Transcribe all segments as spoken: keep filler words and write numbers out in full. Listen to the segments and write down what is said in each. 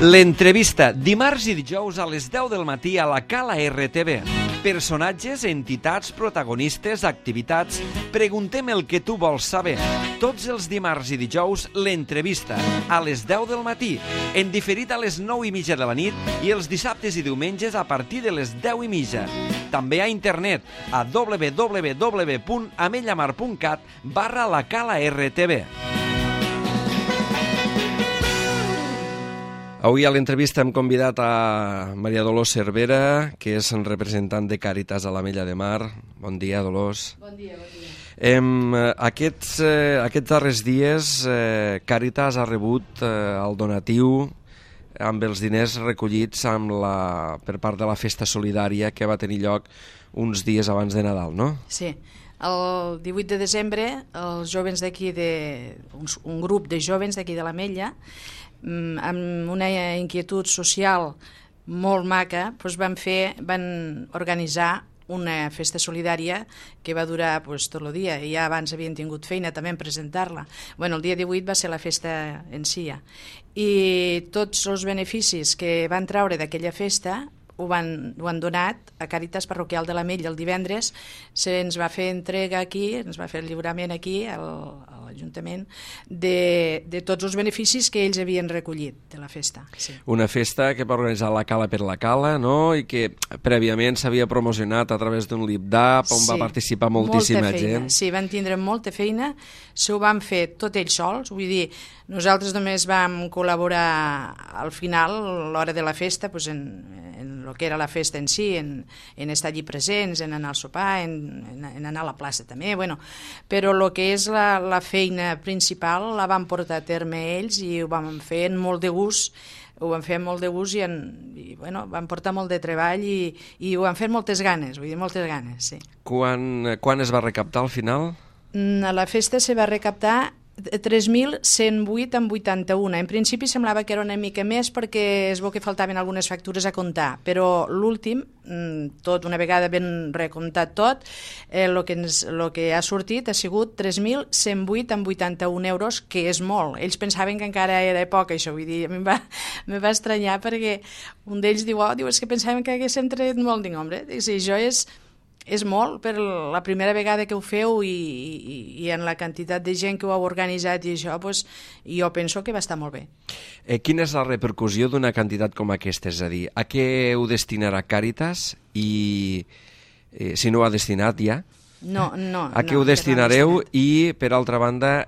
L'entrevista, dimarts i dijous a les deu del matí a la Cala R T V. Personatges, entitats, protagonistes, activitats... Preguntem el que tu vols saber. Tots els dimarts i dijous, l'entrevista, a les deu del matí, en diferit a les nou i mitja de la nit i els dissabtes i diumenges a partir de les deu i mitja. També a internet, a w w w punt amellamar punt cat barra la Cala R T V. Avui a l'entrevista hem convidat a Maria Dolors Cervera, que és representant de Càritas a l'Ametlla de Mar. Bon dia, Dolors. Bon dia, bon dia. Em, aquests, eh, aquests darrers dies eh, Càritas ha rebut eh, el donatiu amb els diners recollits amb la, per part de la festa solidària que va tenir lloc uns dies abans de Nadal, no? Sí. El divuit de desembre, els jovens d'aquí, de, un, un grup de jovens d'aquí de l'Ametlla, amb una inquietud social molt maca, doncs van fer, van organitzar una festa solidària que va durar pues, tot el dia, i ja abans havien tingut feina també en presentar-la. Bueno, el dia divuit va ser la festa en si, i tots els beneficis que van traure d'aquella festa ho, van, ho han donat a Càritas Parroquial de l'Ametlla. El divendres se'ns va fer entrega aquí, ens va fer el lliurament aquí al, a l'Ajuntament de, de tots els beneficis que ells havien recollit de la festa. Sí. Una festa que va organitzar la Cala per la Cala, no? I que prèviament s'havia promocionat a través d'un lip-dap on sí, va participar moltíssima gent. Sí, van tindre molta feina, s'ho van fer tot ells sols, vull dir, nosaltres només vam col·laborar al final, a l'hora de la festa, doncs en, en el que era la festa en si, en, en estar allí presents, en anar al sopar, en, en, en anar a la plaça també, bueno, però el que és la, la feina principal la van portar a terme ells i ho vam fer amb molt de gust, ho van fer amb molt de gust i, en, i bueno, van portar molt de treball i, i ho van fer moltes ganes, vull dir, moltes ganes, sí. Quan, quan es va recaptar al final? A la festa se va recaptar tres mil cent vuit amb vuitanta-un. En principi semblava que era una mica més perquè es veu que faltaven algunes factures a comptar, però l'últim, tot una vegada ben recomptat tot, el eh, que, ens, lo que ha sortit ha sigut tres mil cent vuit amb vuitanta-un euros, que és molt. Ells pensaven que encara era poc, això, vull dir, a mi em va, em va estranyar perquè un d'ells diu, oh, diu, és que pensaven que haguéssim tret molt, dic, home, si això és... És molt per la primera vegada que ho feu i, i, i en la quantitat de gent que ho heu organitzat i això, doncs, jo penso que va estar molt bé. Eh, quina és la repercussió d'una quantitat com aquesta? És a dir, a què ho destinarà Càritas i eh, si no ho ha destinat ja? No, no. A què no, ho destinareu no i, per altra banda,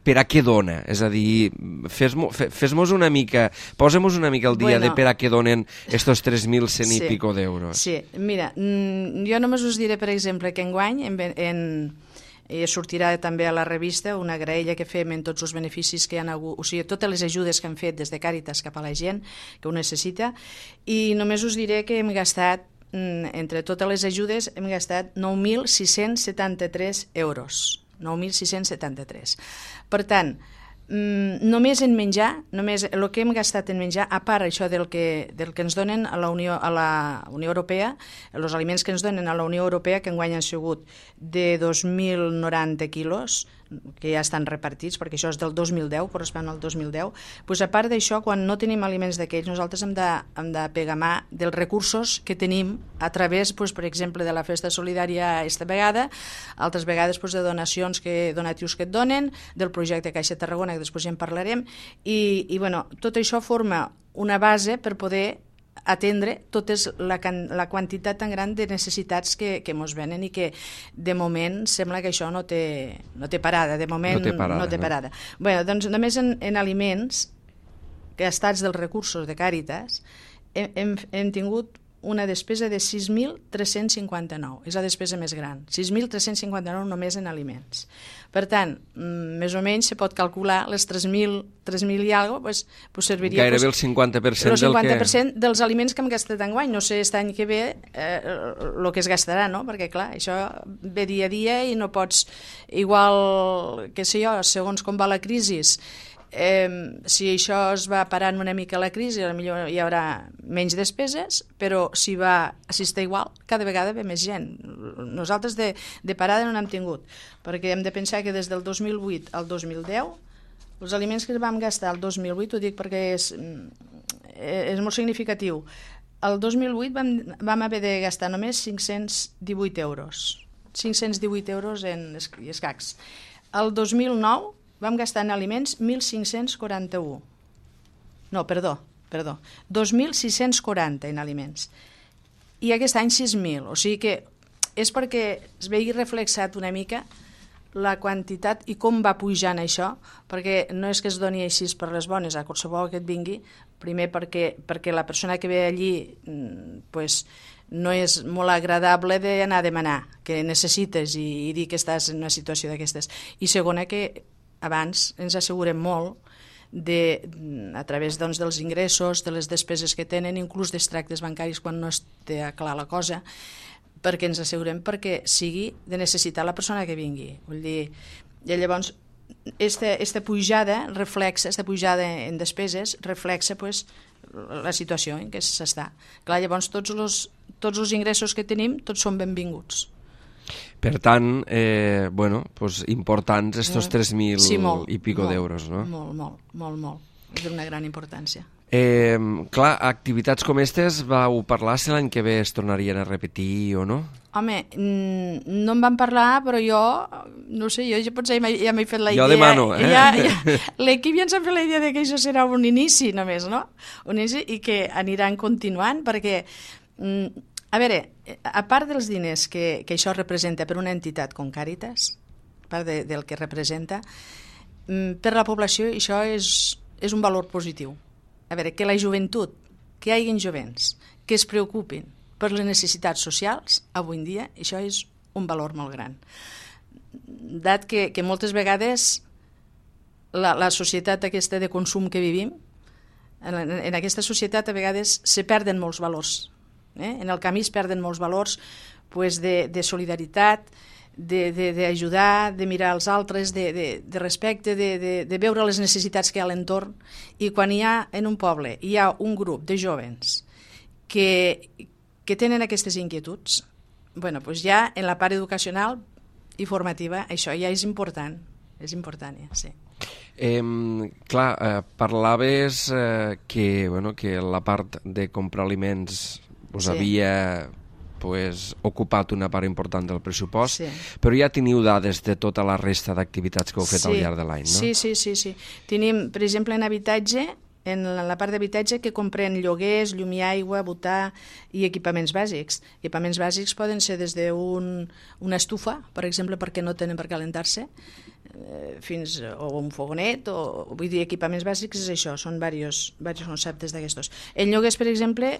per a què dona? És a dir, fes-mos fes una mica, posem-nos una mica el dia bueno, de per a què donen estos tres mil cent sí, i pico d'euros. Sí, mira, jo només us diré, per exemple, que enguany en, en, eh, sortirà també a la revista una graella que fem en tots els beneficis que hi ha hagut, o sigui, totes les ajudes que han fet des de Càritas cap a la gent que ho necessita, i només us diré que hem gastat, entre totes les ajudes, hem gastat nou mil sis-cents setanta-tres euros. nou mil sis-cents setanta-tres. Per tant, només en menjar, només el que hem gastat en menjar, a part això del que, del que ens donen a la Unió, a la Unió Europea, els aliments que ens donen a la Unió Europea, que enguany han sigut de dos mil noranta quilos, que ja estan repartits, perquè això és del dos mil deu, correspon al dos mil deu, doncs a part d'això, quan no tenim aliments d'aquells, nosaltres hem de, hem de pegar mà dels recursos que tenim a través, doncs, per exemple, de la festa solidària aquesta vegada, altres vegades doncs, de donacions, que, donatius que et donen, del projecte Caixa Tarragona, que després ja en parlarem, i, i bueno, tot això forma una base per poder atendre tota la, la quantitat tan gran de necessitats que, que mos venen i que de moment sembla que això no té, no té parada, de moment no té parada. No té parada. No. Bueno, doncs només en, en aliments gastats dels recursos de Càritas hem, hem, hem tingut una despesa de sis mil tres-cents cinquanta-nou, és la despesa més gran, sis mil tres-cents cinquanta-nou només en aliments. Per tant, més o menys se pot calcular les tres mil i alguna cosa, pues, pues serviria... Gairebé pues, el cinquanta per cent, el cinquanta per cent del que... dels aliments que hem gastat enguany. No sé aquest any que ve el eh, que es gastarà, no? Perquè, clar, això ve dia a dia i no pots... Igual, què sé jo, segons com va la crisi, Eh, si això es va parant una mica la crisi, potser hi haurà menys despeses, però si va si està igual, cada vegada ve més gent. Nosaltres de, de parada no n'hem tingut, perquè hem de pensar que des del dos mil vuit al dos mil deu els aliments que vam gastar el dos mil vuit, ho dic perquè és, és molt significatiu. El dos mil vuit vam, vam haver de gastar només cinc-cents divuit euros. cinc-cents divuit euros en escacs. El dos mil nou vam gastar en aliments mil cinc-cents quaranta-u. No, perdó, perdó. dos mil sis-cents quaranta en aliments. I aquest any sis mil. O sigui que és perquè es vegi reflexat una mica la quantitat i com va pujant això, perquè no és que es doni així per les bones a qualsevol que et vingui, primer perquè, perquè la persona que ve allí pues, no és molt agradable d'anar a demanar que necessites i, i dir que estàs en una situació d'aquestes. I segona, que abans ens assegurem molt de, a través doncs, dels ingressos, de les despeses que tenen, inclús dels tractes bancaris quan no es té clar la cosa, perquè ens assegurem perquè sigui de necessitar la persona que vingui. Vull dir, i llavors, esta, esta pujada reflexa, esta pujada en despeses reflexa pues, la situació en què s'està. Clar, llavors tots els, tots els ingressos que tenim, tots són benvinguts. Per tant, eh, bueno, pues importants estos tres mil sí, molt, i pico molt, d'euros, no? Molt, molt, molt, molt. És d'una gran importància. Eh, clar, activitats com aquestes vau parlar si l'any que ve es tornarien a repetir o no? Home, no en vam parlar, però jo, no sé, jo ja potser ja m'he fet la idea. Jo demano, eh? Ja, ja, l'equip ja ens ha fet la idea de que això serà un inici només, no? Un inici i que aniran continuant, perquè, a veure, a part dels diners que, que això representa per una entitat com Càritas, a part de, del que representa, per la població això és, és un valor positiu. A veure, que la joventut, que hi hagi jovents, que es preocupin per les necessitats socials, avui en dia, això és un valor molt gran. Dat que, que moltes vegades la, la societat aquesta de consum que vivim, en, en aquesta societat a vegades se perden molts valors. Eh? En el camí es perden molts valors pues, de, de solidaritat, d'ajudar, de, de, de mirar els altres, de, de, de respecte, de, de, de veure les necessitats que hi ha a l'entorn. I quan hi ha en un poble hi ha un grup de jovens que, que tenen aquestes inquietuds, bueno, pues ja en la part educacional i formativa això ja és important, és important, ja, sí. Eh, clar, eh, parlaves eh, que, bueno, que la part de comprar aliments us sí. havia pues, ocupat una part important del pressupost, sí. però ja teniu dades de tota la resta d'activitats que heu fet sí. al llarg de l'any, no? Sí, sí, sí, sí. Tenim, per exemple, en habitatge, en la part d'habitatge que comprèn lloguers, llum i aigua, butà i equipaments bàsics. Equipaments bàsics poden ser des d'un una estufa, per exemple, perquè no tenen per calentar-se, fins o un fogonet, o vull dir, equipaments bàsics és això, són diversos, diversos conceptes d'aquestos. En lloguers, per exemple,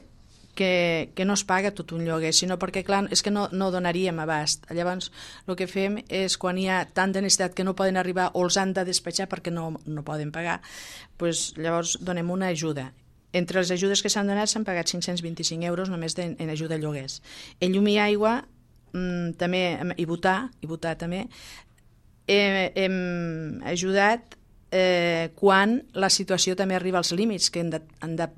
que, que no es paga tot un lloguer, sinó perquè, clar, és que no, no donaríem abast. Llavors, el que fem és, quan hi ha tanta necessitat que no poden arribar o els han de despatxar perquè no, no poden pagar, pues, llavors donem una ajuda. Entre les ajudes que s'han donat s'han pagat cinc-cents vint-i-cinc euros només de, en ajuda a lloguers. En llum i aigua, mmm, també, i butà, i butà també, hem, hem ajudat Eh, quan la situació també arriba als límits, que han de, han de,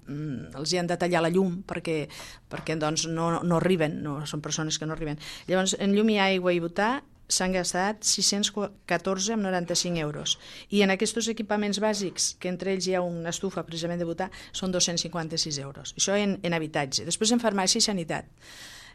els hi han de tallar la llum perquè, perquè doncs, no, no arriben, no, són persones que no arriben. Llavors, en llum i aigua i butà s'han gastat sis-cents catorze coma noranta-cinc euros. I en aquests equipaments bàsics, que entre ells hi ha una estufa precisament de butà, són dos-cents cinquanta-sis euros. Això en, en habitatge. Després en farmàcia i sanitat.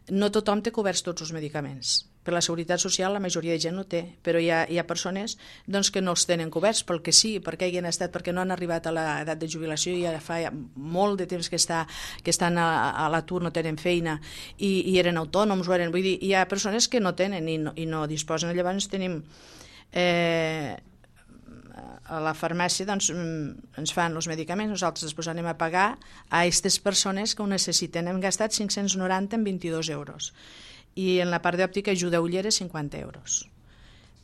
No tothom té coberts tots els medicaments. Per la Seguretat Social la majoria de gent no té, però hi ha, hi ha persones doncs, que no els tenen coberts pel que sí, perquè hagin estat, perquè no han arribat a l'edat de jubilació i ja fa molt de temps que, està, que estan a, a l'atur, no tenen feina i, i eren autònoms, o eren, vull dir, hi ha persones que no tenen i no, i no disposen. Llavors tenim eh, a la farmàcia doncs, ens fan els medicaments, nosaltres després anem a pagar a aquestes persones que ho necessiten. Hem gastat cinc-cents noranta en vint-i-dos euros. I en la part d'òptica ajuda a ulleres cinquanta euros.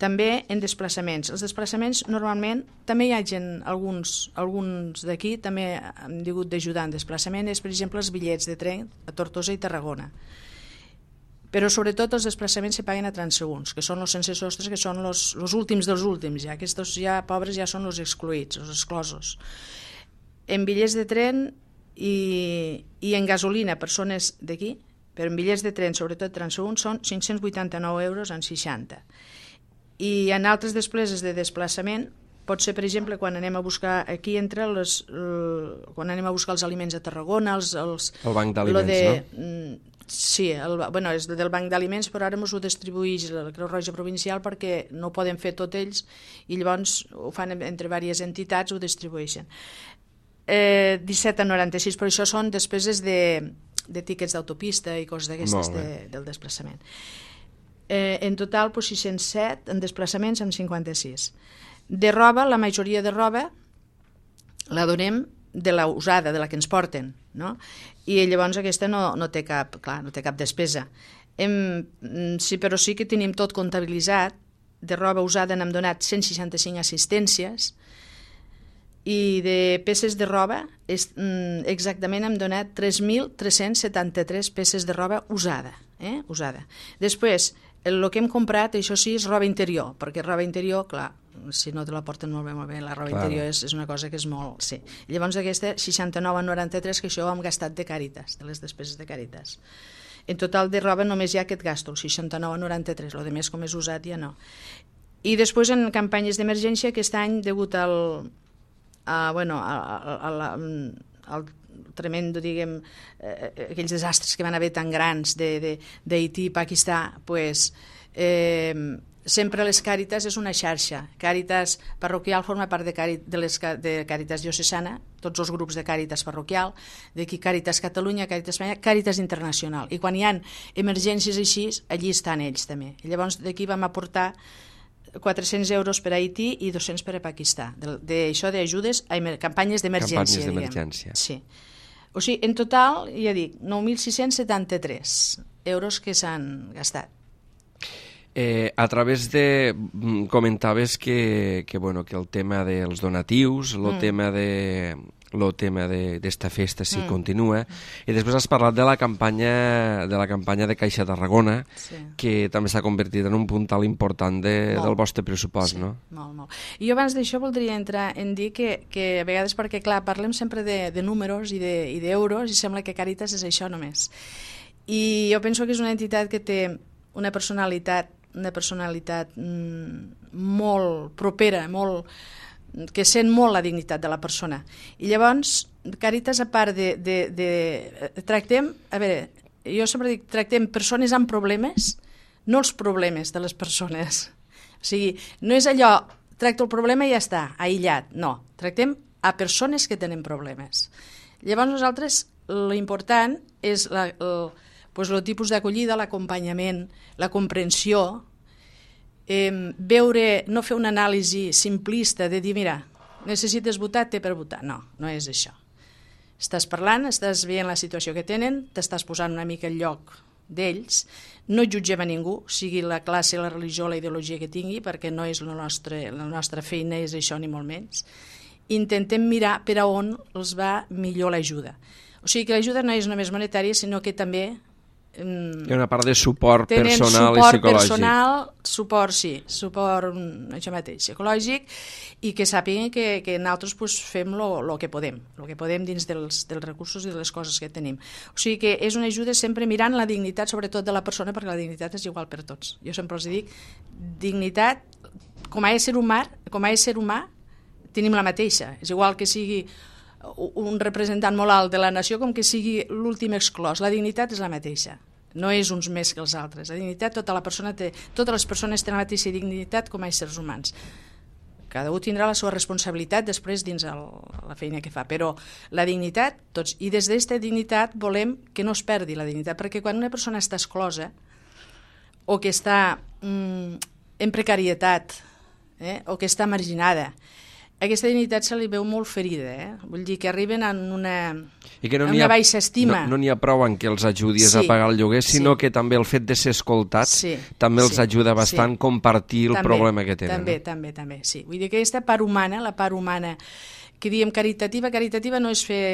També en desplaçaments. Els desplaçaments normalment també hi ha gent, alguns, alguns d'aquí també han hagut d'ajudar en desplaçament, és per exemple els bitllets de tren a Tortosa i Tarragona. Però sobretot els desplaçaments se paguen a transeünts, que són els sense sostres, que són els últims dels últims, ja. Aquests ja pobres ja són els excluïts, els exclosos. En bitllets de tren i, i en gasolina, persones d'aquí, però en bitllets de tren, sobretot transeünts, són cinc-cents vuitanta-nou euros en seixanta. I en altres despeses de desplaçament, pot ser, per exemple, quan anem a buscar aquí entre les, el, quan anem a buscar els aliments a Tarragona, els, els, el banc d'aliments, de, no? Sí, el, bueno, és del banc d'aliments, però ara ens ho distribueix la Creu Roja Provincial perquè no ho poden fer tot ells i llavors ho fan entre diverses entitats, ho distribueixen. Eh, disset a noranta-sis, però això són despeses de, de tíquets d'autopista i coses d'aquestes de, del desplaçament. Eh, en total, doncs, sis-cents set en desplaçaments amb cinquanta-sis. De roba, la majoria de roba la donem de la usada, de la que ens porten, no? I llavors aquesta no, no, té cap, clar, no té cap despesa. Hem, sí, però sí que tenim tot comptabilitzat. De roba usada n'hem donat cent seixanta-cinc assistències i de peces de roba és, exactament hem donat tres mil tres-cents setanta-tres peces de roba usada. Eh? usada. Després, el que hem comprat, això sí, és roba interior, perquè roba interior, clar, si no te la porten molt bé, molt bé, la roba claro. interior és, és una cosa que és molt... Sí. Llavors aquesta seixanta-nou a noranta-tres, que això ho hem gastat de Càritas, de les despeses de Càritas. En total de roba només hi ha aquest gasto, el seixanta-nou a noranta-tres, el de més com és usat ja no. I després en campanyes d'emergència, aquest any, degut al... A, bueno, a, a, a la, al tremendo, diguem, eh, aquells desastres que van haver tan grans d'Haití i Pakistà, pues, eh, sempre les Càritas és una xarxa. Càritas parroquial forma part de, Càrit, de, les, de Càritas diocesana, tots els grups de Càritas parroquial, d'aquí Càritas Catalunya, Càritas Espanya, Càritas Internacional. I quan hi ha emergències així, allí estan ells també. I llavors d'aquí vam aportar quatre-cents euros per a Haití i dos-cents per a Pakistà. D'això d'ajudes a campanyes d'emergència. Campanyes d'emergència. Sí. O sigui, en total, ja dic, nou mil sis-cents setanta-tres euros que s'han gastat. Eh, a través de... comentaves que, que, bueno, que el tema dels donatius, el mm. tema de... el tema d'esta festa sí mm. continua, i després has parlat de la campanya de la campanya de Caixa Tarragona, sí. que també s'ha convertit en un puntal important de, del vostre pressupost, sí, no? Molt, molt. I jo abans d'això voldria entrar en dir que, que a vegades, perquè clar, parlem sempre de, de números i d'euros i sembla que Càritas és això només. I jo penso que és una entitat que té una personalitat, una personalitat mm, molt propera, molt... que sent molt la dignitat de la persona. I llavors, Càritas, a part de... de, de tractem, a veure, jo sempre dic, tractem persones amb problemes, no els problemes de les persones. O sigui, no és allò, tracto el problema i ja està, aïllat, no. Tractem a persones que tenen problemes. Llavors nosaltres, l'important és la, el, pues, el tipus d'acollida, l'acompanyament, la comprensió, Eh, veure, no fer una anàlisi simplista de dir, mira, necessites votar, té per votar. No, no és això. Estàs parlant, estàs veient la situació que tenen, t'estàs posant una mica al lloc d'ells, no jutgem a ningú, sigui la classe, la religió, la ideologia que tingui, perquè no és la nostra, la nostra feina, és això ni molt menys. Intentem mirar per a on els va millor l'ajuda. O sigui que l'ajuda no és només monetària, sinó que també... Hi ha una part de suport tenen personal suport i psicològic. Personal, suport, sí, suport això mateix, psicològic, i que sàpiguen que, que nosaltres pues, fem el que podem, el que podem dins dels, dels recursos i de les coses que tenim. O sigui que és una ajuda sempre mirant la dignitat, sobretot de la persona, perquè la dignitat és igual per tots. Jo sempre els dic, dignitat, com a ésser humà, com a ésser humà, tenim la mateixa. És igual que sigui un representant molt alt de la nació com que sigui l'últim exclòs. La dignitat és la mateixa, no és uns més que els altres. La dignitat, tota la persona té, totes les persones tenen la mateixa dignitat com a éssers humans. Cada un tindrà la seva responsabilitat després dins el, la feina que fa, però la dignitat, tots, i des d'aquesta dignitat volem que no es perdi la dignitat, perquè quan una persona està exclosa o que està mm, en precarietat eh, o que està marginada, aquesta dignitat se li veu molt ferida, eh? Vull dir que arriben en una, I que no en una ha, baixa estima. No n'hi no ha prou en que els ajudis sí, a pagar el lloguer, sinó sí. que també el fet de ser escoltats sí, també els sí, ajuda bastant a sí. compartir el també, problema que tenen. També, no? també, també, sí. Vull dir que aquesta part humana, la part humana, que diem caritativa, caritativa no és fer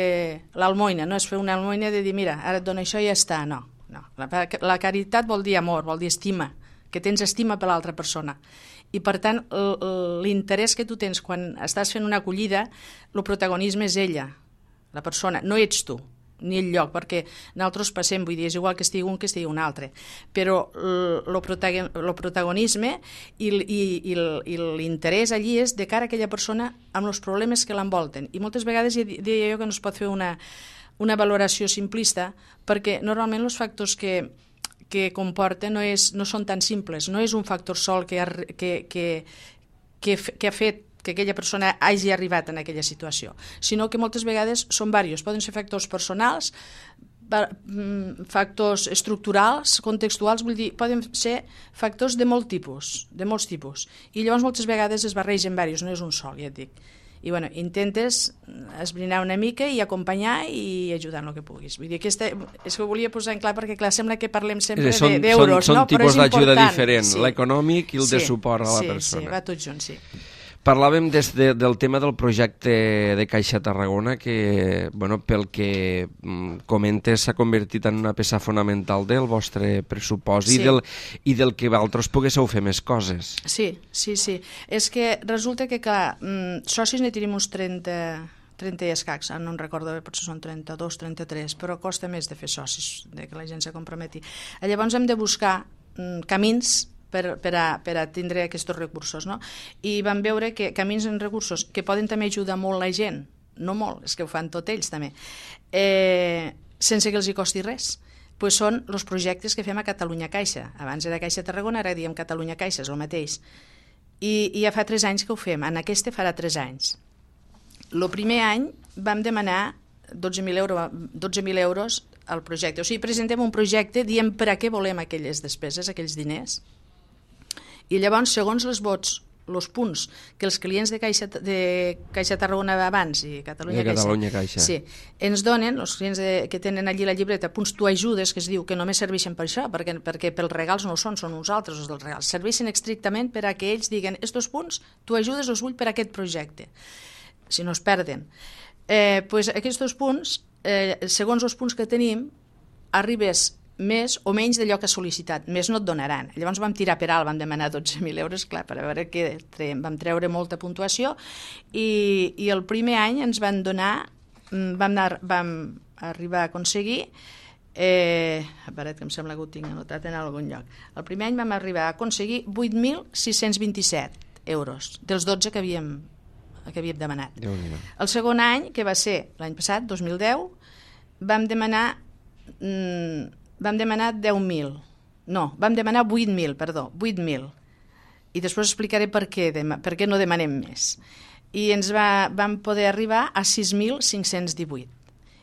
l'almoina, no és fer una almoina de dir, mira, ara et dono això i ja està, no. no. La, la caritat vol dir amor, vol dir estima, que tens estima per l'altra persona. I, per tant, l'interès que tu tens quan estàs fent una acollida, el protagonisme és ella, la persona, no ets tu. ni el lloc, perquè nosaltres passem, vull dir, és igual que estigui un que estigui un altre, però el protagonisme i, i, i, i l'interès allí és de cara a aquella persona amb els problemes que l'envolten. I moltes vegades deia jo que no es pot fer una, una valoració simplista, perquè normalment els factors que, que comporten no, és, no són tan simples, no és un factor sol que ha, que, que, que, que ha fet que aquella persona hagi arribat en aquella situació, sinó que moltes vegades són diversos, poden ser factors personals, factors estructurals, contextuals, vull dir, poden ser factors de molt tipus, de molts tipus, i llavors moltes vegades es barregen diversos, no és un sol, ja et dic. I bueno, intentes esbrinar una mica i acompanyar i ajudar en el que puguis. Vull dir, aquesta, és que ho volia posar en clar perquè clar, sembla que parlem sempre són, d'euros, són, són no? tipus d'ajuda diferent, sí. l'econòmic i el sí, de suport a la sí, persona. Sí, va tot junt, sí. Parlàvem des de, del tema del projecte de Caixa Tarragona que, bueno, pel que comentes, s'ha convertit en una peça fonamental del vostre pressupost sí. i, del, i del que vosaltres poguéssiu fer més coses. Sí, sí, sí. És que resulta que, clar, socis ne tenim uns trenta, trenta i escacs, no em recordo bé, potser són trenta-dos, trenta-tres, però costa més de fer socis, de que la gent se comprometi. Llavors hem de buscar mm, camins per, per, a, per a tindre aquests recursos, no? I vam veure que camins en recursos que poden també ajudar molt la gent, no molt, és que ho fan tots ells també, eh, sense que els hi costi res, pues són els projectes que fem a Catalunya Caixa. Abans era Caixa Tarragona, ara diem Catalunya Caixa, és el mateix. I, i ja fa tres anys que ho fem, en aquest farà tres anys. El primer any vam demanar dotze mil euros, dotze mil euros al projecte. O sigui, presentem un projecte, diem per a què volem aquelles despeses, aquells diners, i llavors, segons els vots, els punts que els clients de Caixa, de Caixa Tarragona abans i Catalunya, Catalunya Caixa, Caixa. Sí, ens donen, els clients de, que tenen allí la llibreta, punts tu ajudes, que es diu que només serveixen per això, perquè, perquè pels regals no ho són, són uns altres els dels regals. Serveixen estrictament per a que ells diguen estos punts tu ajudes els vull per a aquest projecte, si no es perden. Eh, pues aquests punts, eh, segons els punts que tenim, arribes més o menys d'allò que has sol·licitat, més no et donaran. Llavors vam tirar per alt, vam demanar dotze mil euros, clar, per a veure que vam treure molta puntuació, i, i el primer any ens van donar, vam, anar, vam arribar a aconseguir, eh, a veure, que em sembla que ho tinc anotat en algun lloc, el primer any vam arribar a aconseguir vuit mil sis-cents vint-i-set euros, dels dotze que havíem, que havíem demanat. El segon any, que va ser l'any passat, dos mil deu, vam demanar... Mm, vam demanar deu mil, no, vam demanar vuit mil, perdó, vuit mil, i després explicaré per què, per què no demanem més. I ens va, vam poder arribar a sis mil cinc-cents divuit.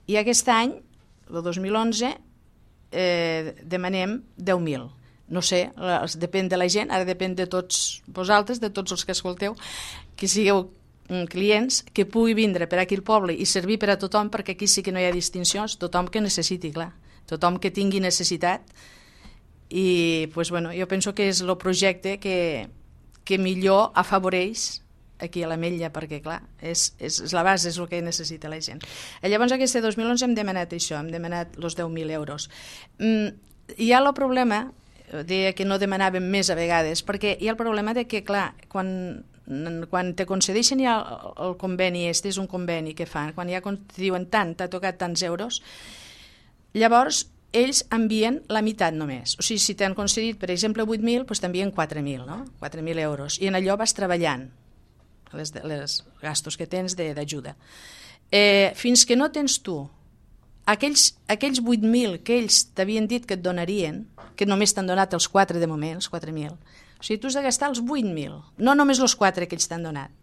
I aquest any, el dos mil onze, eh, demanem deu mil. No sé, depèn de la gent, ara depèn de tots vosaltres, de tots els que escolteu, que sigueu clients, que pugui vindre per aquí al poble i servir per a tothom, perquè aquí sí que no hi ha distincions, tothom que necessiti, clar. Tothom que tingui necessitat, i pues, bueno, jo penso que és el projecte que, que millor afavoreix aquí a l'Ametlla, perquè clar, és, és, és la base, és el que necessita la gent. Llavors aquest dos mil onze hem demanat això, hem demanat els deu mil euros. Mm, hi ha el problema, deia que no demanàvem més a vegades, perquè hi ha el problema de que, clar, quan, quan te concedeixen ja el, el conveni, este és un conveni que fan, quan ja te diuen tant, t'ha tocat tants euros, llavors, ells envien la meitat només. O sigui, si t'han concedit, per exemple, vuit mil, doncs t'envien quatre mil, no? quatre mil euros. I en allò vas treballant les, les gastos que tens d'ajuda. Eh, fins que no tens tu aquells, aquells vuit mil que ells t'havien dit que et donarien, que només t'han donat els quatre de moment, els quatre mil, o sigui, tu has de gastar els vuit mil, no només els quatre que ells t'han donat.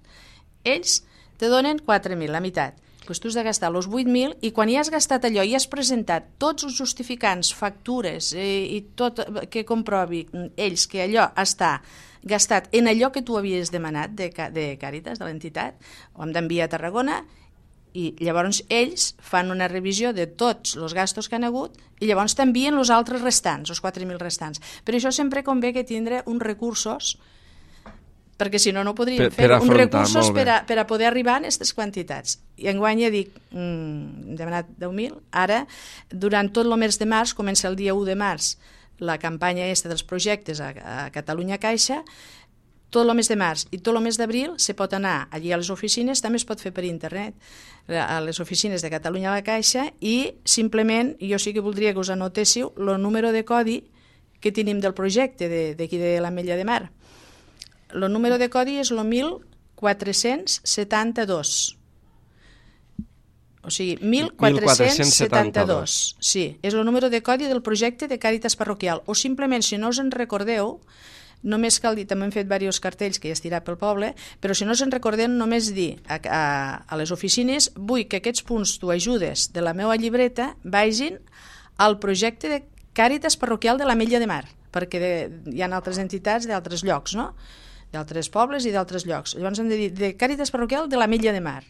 Ells te donen quatre mil, la meitat. Doncs tu has de gastar els vuit mil, i quan ja has gastat allò i has presentat tots els justificants, factures eh, i tot que comprovi ells que allò està gastat en allò que tu havies demanat de, de Càritas, de l'entitat, ho hem d'enviar a Tarragona, i llavors ells fan una revisió de tots els gastos que han hagut i llavors t'envien els altres restants, els quatre mil restants. Per això sempre convé que tindre uns recursos, perquè si no, no podríem per, fer per uns recursos per a, per a poder arribar a aquestes quantitats. I enguany ja dic, mm, hem demanat deu mil, ara, durant tot el mes de març, comença el dia u de març, la campanya aquesta dels projectes a, a Catalunya Caixa, tot el mes de març i tot el mes d'abril se pot anar allí a les oficines, també es pot fer per internet, a les oficines de Catalunya a la Caixa, i simplement jo sí que voldria que us anotéssiu el número de codi que tenim del projecte d'aquí de l'Ametlla de Mar. El número de codi és el mil quatre-cents setanta-dos. O sigui, mil quatre-cents setanta-dos. Sí, és el número de codi del projecte de Càritas Parroquial. O simplement, si no us en recordeu, només cal dir, també hem fet diversos cartells que ja es dirà pel poble, però si no us en recordeu, només dir a, a, a les oficines, vull que aquests punts tu ajudes de la meva llibreta vagin al projecte de Càritas Parroquial de l'Ametlla de Mar, perquè de, hi ha altres entitats d'altres llocs, no? D'altres pobles i d'altres llocs. Llavors hem de dir de Càritas Parroquial de l'Ametlla de Mar,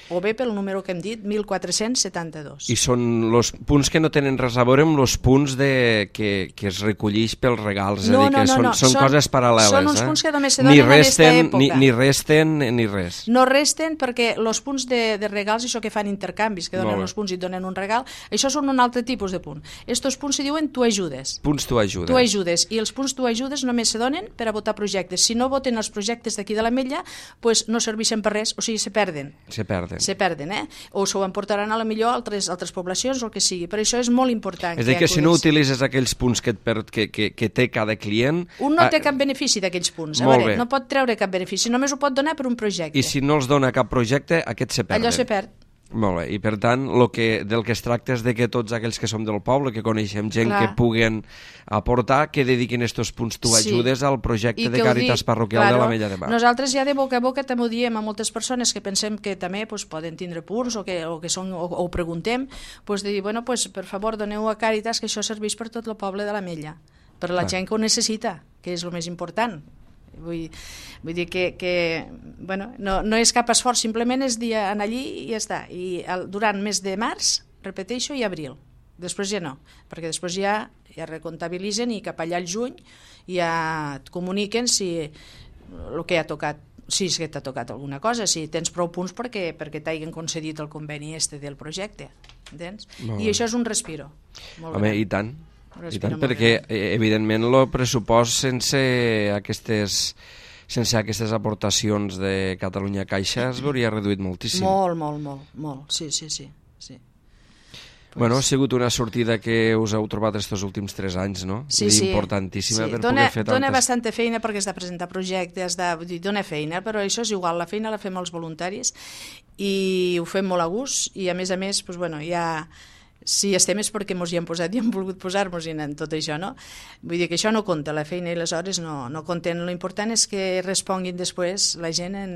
o bé pel número que hem dit, mil quatre-cents setanta-dos. I són els punts que no tenen res a veure amb els punts de, que, que es recollix pels regals, no, és a dir, que no, no, són, no. són, són coses paral·leles. Són uns eh? punts que només se donen en aquesta època. Ni, ni resten ni res. No resten perquè els punts de, de regals, això que fan intercanvis, que donen els punts i donen un regal, això són un altre tipus de punt. Estos punts se diuen tu ajudes. Punts tu ajudes. Tu ajudes. I els punts tu ajudes només se donen per a votar projectes. Si no voten els projectes d'aquí de l'Ametlla, pues no serveixen per res, o sigui, se perden. Se perden. Se perden, eh? O s'ho emportaran a la millor a altres, altres poblacions o el que sigui. Per això és molt important. És a dir, que, que si no utilitzes aquells punts que, et per, que, que, que té cada client... Un no té cap benefici d'aquells punts. A veure, no pot treure cap benefici, només ho pot donar per un projecte. I si no els dona cap projecte, aquests se perden. Allò se perd. Molt bé, i per tant, lo que, del que es tracta és de que tots aquells que som del poble, que coneixem gent Clar. que puguen aportar, que dediquin estos punts tu ajudes sí. al projecte de Càritas Parroquial claro, de l'Ametlla de Mar. Nosaltres ja de boca a boca també ho diem a moltes persones que pensem que també pues, poden tindre punts o que, o que són, o, o preguntem, pues, de dir, bueno, pues, per favor, doneu a Càritas que això serveix per tot el poble de l'Ametlla, per la Clar. gent que ho necessita, que és el més important. Vull, vull dir que, que bueno, no, no és cap esforç, simplement és dir anar allí i ja està. I el, durant mes de març, repeteixo, i abril. Després ja no, perquè després ja, ja recomptabilitzen i cap allà al juny ja et comuniquen si el que ha tocat, si és que t'ha tocat alguna cosa, si tens prou punts perquè, perquè t'hagin concedit el conveni este del projecte. Entens? I això és un respiro. Molt Home, gran. I tant. I tant, perquè evidentment el pressupost sense aquestes sense aquestes aportacions de Catalunya Caixa es veuria reduït moltíssim. Molt, molt, molt, molt. Sí, sí, sí. sí. Pues... Bueno, ha sigut una sortida que us heu trobat estos últims tres anys, no? Sí, sí. Importantíssima sí. per dona, poder fer tantes... Dona bastanta feina perquè has de presentar projectes, de... dona feina, però això és igual, la feina la fem els voluntaris i ho fem molt a gust i a més a més, pues, bueno, ja... Si estem és perquè ens hi hem posat i hem volgut posar-nos en tot això, no? Vull dir que això no compta, la feina i les hores no, no compten. L'important és que responguin després la gent en,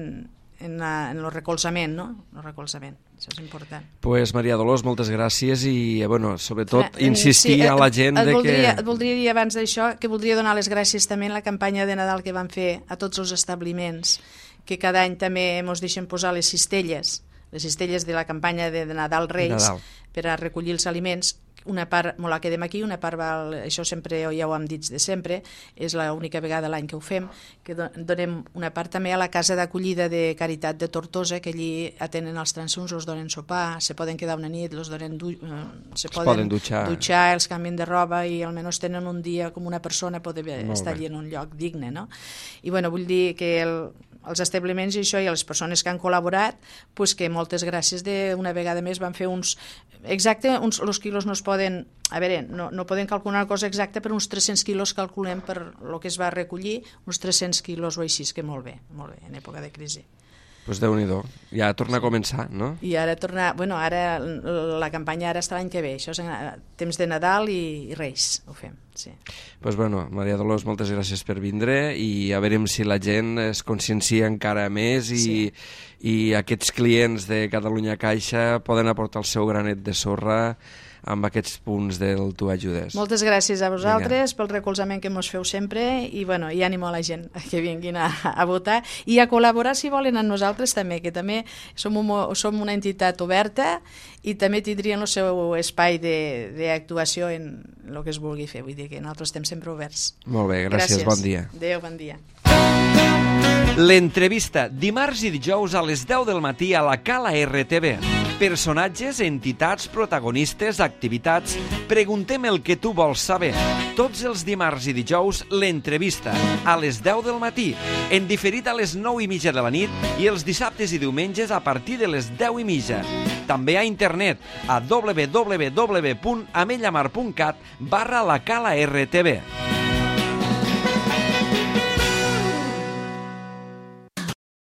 en, la, en el recolzament, no? El recolzament, això és important. Pues Maria Dolors, moltes gràcies i, bueno, sobretot, Clar, insistir sí, a la gent et de voldria, que... Et voldria dir abans d'això que voldria donar les gràcies també en la campanya de Nadal que van fer a tots els establiments, que cada any també ens deixen posar les cistelles, les cistelles de la campanya de Nadal Reis, Nadal. per a recollir els aliments. Una part me la quedem aquí, una part va, això sempre ja ho hem dit de sempre, és l'única vegada a l'any que ho fem, que donem una part també a la casa d'acollida de Caritat de Tortosa, que allí atenen els transuns, els donen sopar, se poden quedar una nit, els donen du eh, se poden, poden dutxar. dutxar, els canvien de roba i almenys tenen un dia com una persona poder estar allí en un lloc digne, no? I bueno, vull dir que el, els establiments i això i les persones que han col·laborat, pues que moltes gràcies d'una vegada més van fer uns exacte, uns, els quilos no es poden a veure, no, no podem calcular una cosa exacta, però uns tres-cents quilos calculem per el que es va recollir, uns tres-cents quilos o així, que molt bé, molt bé, en època de crisi. Pues Déu-n'hi-do, ja torna a començar, no? I ara torna, bueno, ara la campanya ara està l'any que ve, això és temps de Nadal i, i Reis, ho fem, sí. Pues bueno, Maria Dolors, moltes gràcies per vindre i a veure si la gent es consciencia encara més i, sí. i aquests clients de Catalunya Caixa poden aportar el seu granet de sorra amb aquests punts del Tu Ajudes. Moltes gràcies a vosaltres Vinga. pel recolzament que mos feu sempre i, bueno, i ànimo a la gent que vinguin a, a votar i a col·laborar si volen amb nosaltres també, que també som, un, som una entitat oberta i també tindrien el seu espai d'actuació en el que es vulgui fer, vull dir que nosaltres estem sempre oberts. Molt bé, gràcies, gràcies. Bon dia. Adéu, bon dia. L'entrevista, dimarts i dijous a les deu del matí a la Cala R T V. Personatges, entitats, protagonistes, activitats... Preguntem el que tu vols saber. Tots els dimarts i dijous, l'entrevista, a les deu del matí, en diferit a les nou i mitja de la nit i els dissabtes i diumenges a partir de les deu i mitja. També a internet, a w w w punt amellamar punt cat barra la cala R T V.